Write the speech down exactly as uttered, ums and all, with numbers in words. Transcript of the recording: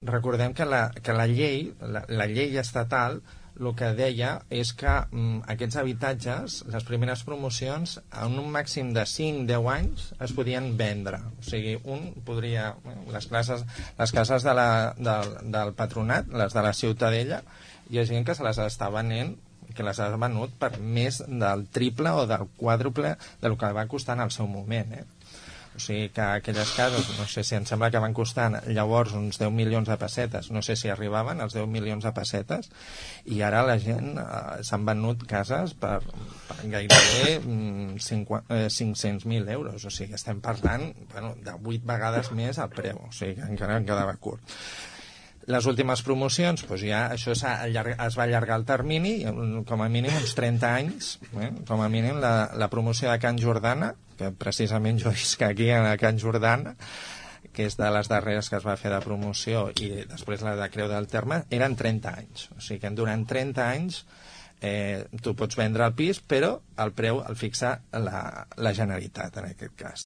recordem que la, que la llei, la, la llei estatal, el que deia és que mm, aquests habitatges, les primeres promocions, en un màxim de cinc a deu anys es podien vendre. O sigui, un podria... Les, classes, les cases de la, del, del patronat, les de la Ciutadella, hi ha gent que se les està venent, que les ha venut per més del triple o del quàdruple del que va costar en el seu moment, eh? O sigui que aquelles cases, no sé si em sembla que van costar llavors uns deu milions de pessetes, no sé si arribaven als deu milions de pessetes, i ara la gent eh, s'han venut cases per, per gairebé mm, cinc-cents mil euros. O sigui, estem parlant bueno, de vuit vegades més al preu, o sigui que encara en quedava curt. Les últimes promocions, doncs ja això es va allargar el termini, com a mínim uns trenta anys, eh? Com a mínim la, la promoció de Can Jordana, que precisament jo visc aquí a Can Jordana, que és de les darreres que es va fer de promoció, i després la de Creu del Terme, eren trenta anys. O sigui que durant trenta anys eh, tu pots vendre el pis, però el preu el fixa la, la Generalitat, en aquest cas.